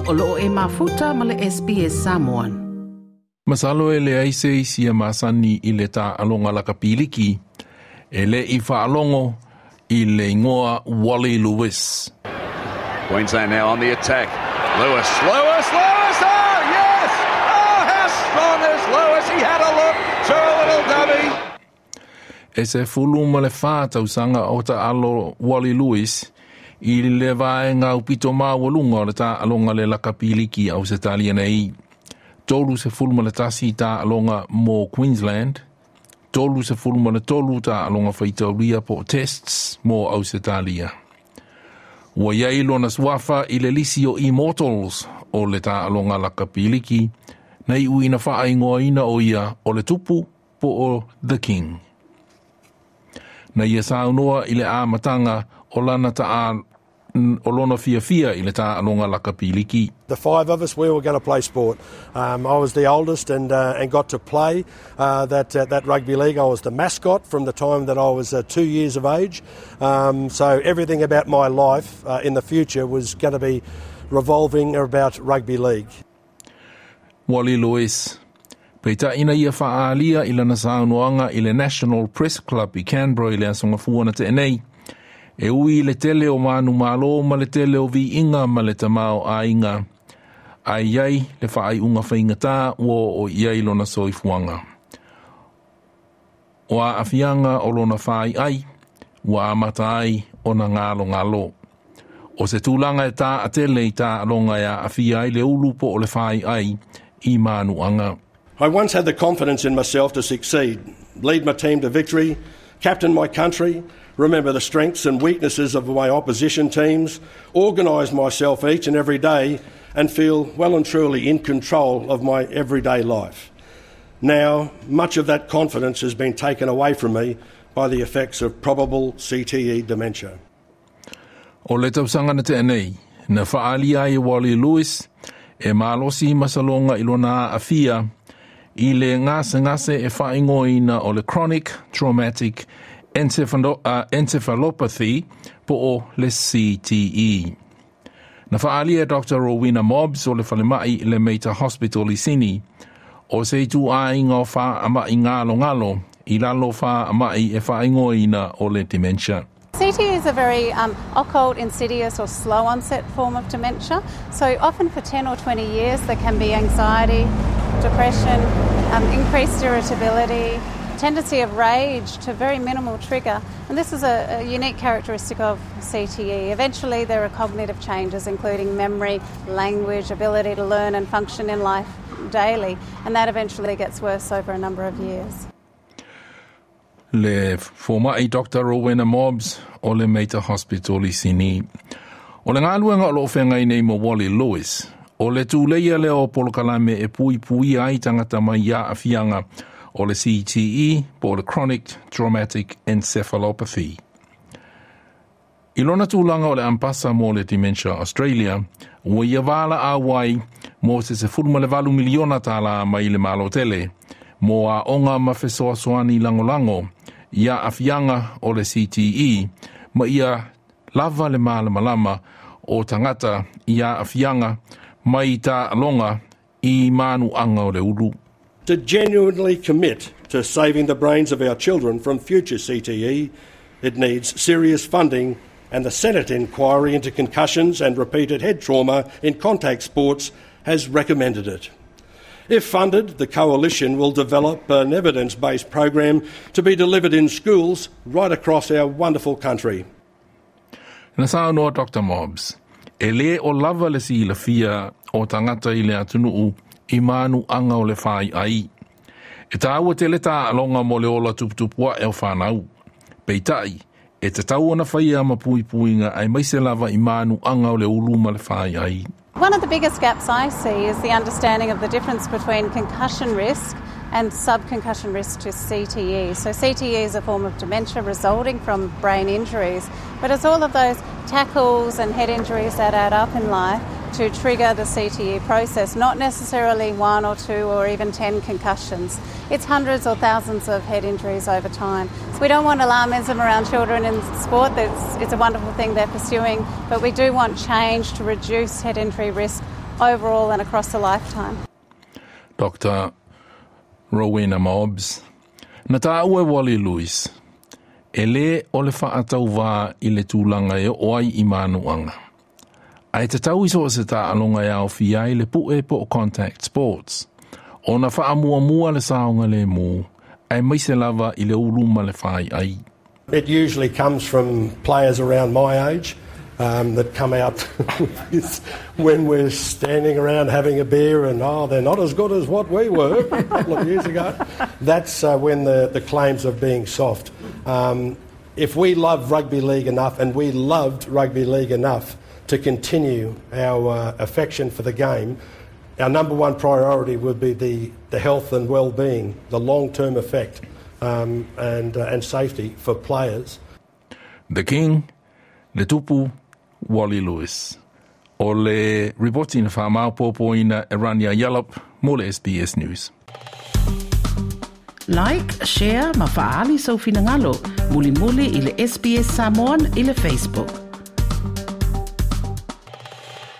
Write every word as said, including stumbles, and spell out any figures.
O loo e mafuta ma le S B S Samoan. Masalo e leai se isi e masani i le taaloga lakapiliki e le i faalogo i le igoa Wally Lewis. Queensland now on the attack. Lewis, Lewis, Lewis! Oh, yes! Oh, how strong is Lewis? He had a look to a little dummy. E sefulu ma le fa tausaga o taalo Wally Lewis i le vaega aupito maualuga o le taaloga le lakapiliki Ausetalia nei. Tolu sefulu ma le tasi taaloga mo Queensland, tolu sefulu ma le tolu taaloga faitaulia po tests mo Ausetalia. Ua iai lona suafa i le lisi o Immortals o le taaloga lakapiliki, na iu ina faaigoaina o ia o le tupu po o The King. Na ia saunoa i le amataga o lana taa o lona fiafia i le taaloga lakapiliki. The five of us, we were going to play sport. Um, I was the oldest and, uh, and got to play uh, that, uh, that rugby league. I was the mascot from the time that I was uh, two years of age. Um, so everything about my life uh, in the future was going to be revolving about rugby league. Wally Lewis. Peitai na ia faaalia i lana saunoaga i le National Press Club i Canberra i le aso Gafua na tea nei. E ui i le tele o manumalo ma le tele o viiga ma le tamaoaiga. Ae iai le faaiuga faigata ua oo i ai lona soifuaga. O aafiaga o lona faiai, ua amata ai ona galogalo. O se tulaga e taatele i taaloga e aafia ai le ulu po o le faiai i manuaga. I once had the confidence in myself to succeed, lead my team to victory, captain my country, remember the strengths and weaknesses of my opposition teams, organise myself each and every day, and feel well and truly in control of my everyday life. Now, much of that confidence has been taken away from me by the effects of probable C T E dementia. O le tausaga na tea nei, na faaalia ai e Wally Lewis e malosi masaloga i lona aafia i le gasegase e faaigoaina o le Chronic Traumatic Encephalo, uh, Encephalopathy po o le C T E. Na faaalia e Doctor Rowena Mobbs o le falemai le Mater Hospital i Sydney o se ituaiga o faamai galogalo i lalo o faamai e faaigoaina o le dementia. C T E is a very um, occult, insidious, or slow onset form of dementia. So, often for ten or twenty years, there can be anxiety, depression, um, increased irritability, tendency of rage to very minimal trigger. And this is a, a unique characteristic of C T E. Eventually, there are cognitive changes, including memory, language, ability to learn and function in life daily, and that eventually gets worse over a number of years. Le fomai Doctor Rowena Mobbs o le Mater Hospital i Sydney. O le galuega o loo feagai nei ma Wally Lewis, o le tuleia lea o polokalame e puipuia ai tagata mai aafiaga o le C T E po o le Chronic Traumatic Encephalopathy. I lona tulaga o le ambassador mo le Dementia Australia, ua ia valaau ai mo se sefulu ma le valu miliona tala mai le Malo tele, mo aoga ma fesoasoani lagolago i aafiaga o le C T E, ma ia lava le malamalama o tagata i aafiaga mai taaloga i manuaga o le ulu. To genuinely commit to saving the brains of our children from future C T E, it needs serious funding, and the Senate inquiry into concussions and repeated head trauma in contact sports has recommended it. If funded, the coalition will develop an evidence based program to be delivered in schools right across our wonderful country. Na saunoa Doctor Mobbs, e le o lava le silafia o tagata i le atunuu i manuaga o le faiai. E taua tele taaloga mo le ola tuputupu ae o fanau. Peitai, e tatau ona faia ma puipuiga aemaise lava i manuaga o le ulu ma le faiai. One of the biggest gaps I see is the understanding of the difference between concussion risk and subconcussion risk to C T E. So, C T E is a form of dementia resulting from brain injuries, but it's all of those tackles and head injuries that add up in life to trigger the C T E process, not necessarily one or two or even ten concussions. It's hundreds or thousands of head injuries over time. So we don't want alarmism around children in sport. It's, it's a wonderful thing they're pursuing, but we do want change to reduce head injury risk overall and across a lifetime. Doctor Rowena Mobbs. Na tāua e Wally Lewis, e lē o le faatauvā i le tulaga e oo ai i manuaga. Ae tatau i so o se taaloga e aofia ai le pu'e po o contact sports. Ona faamuamua le saogalemu, aemaise lava i le ulu ma le faiai. It usually comes from players around my age um, that come out when we're standing around having a beer and, oh, they're not as good as what we were a couple of years ago. That's uh, when the, the claims of being soft. Um, if we love rugby league enough, and we loved rugby league enough to continue our uh, affection for the game, our number one priority would be the, the health and well-being, the long-term effect um, and, uh, and safety for players. The King, le Tupu, Wally Lewis. O le ripoti na whaamaopopoina e Rania Yallop mo le S B S News. Like, share ma faaali sou finagalo. Mulimuli i le S B S Samoan i le Facebook.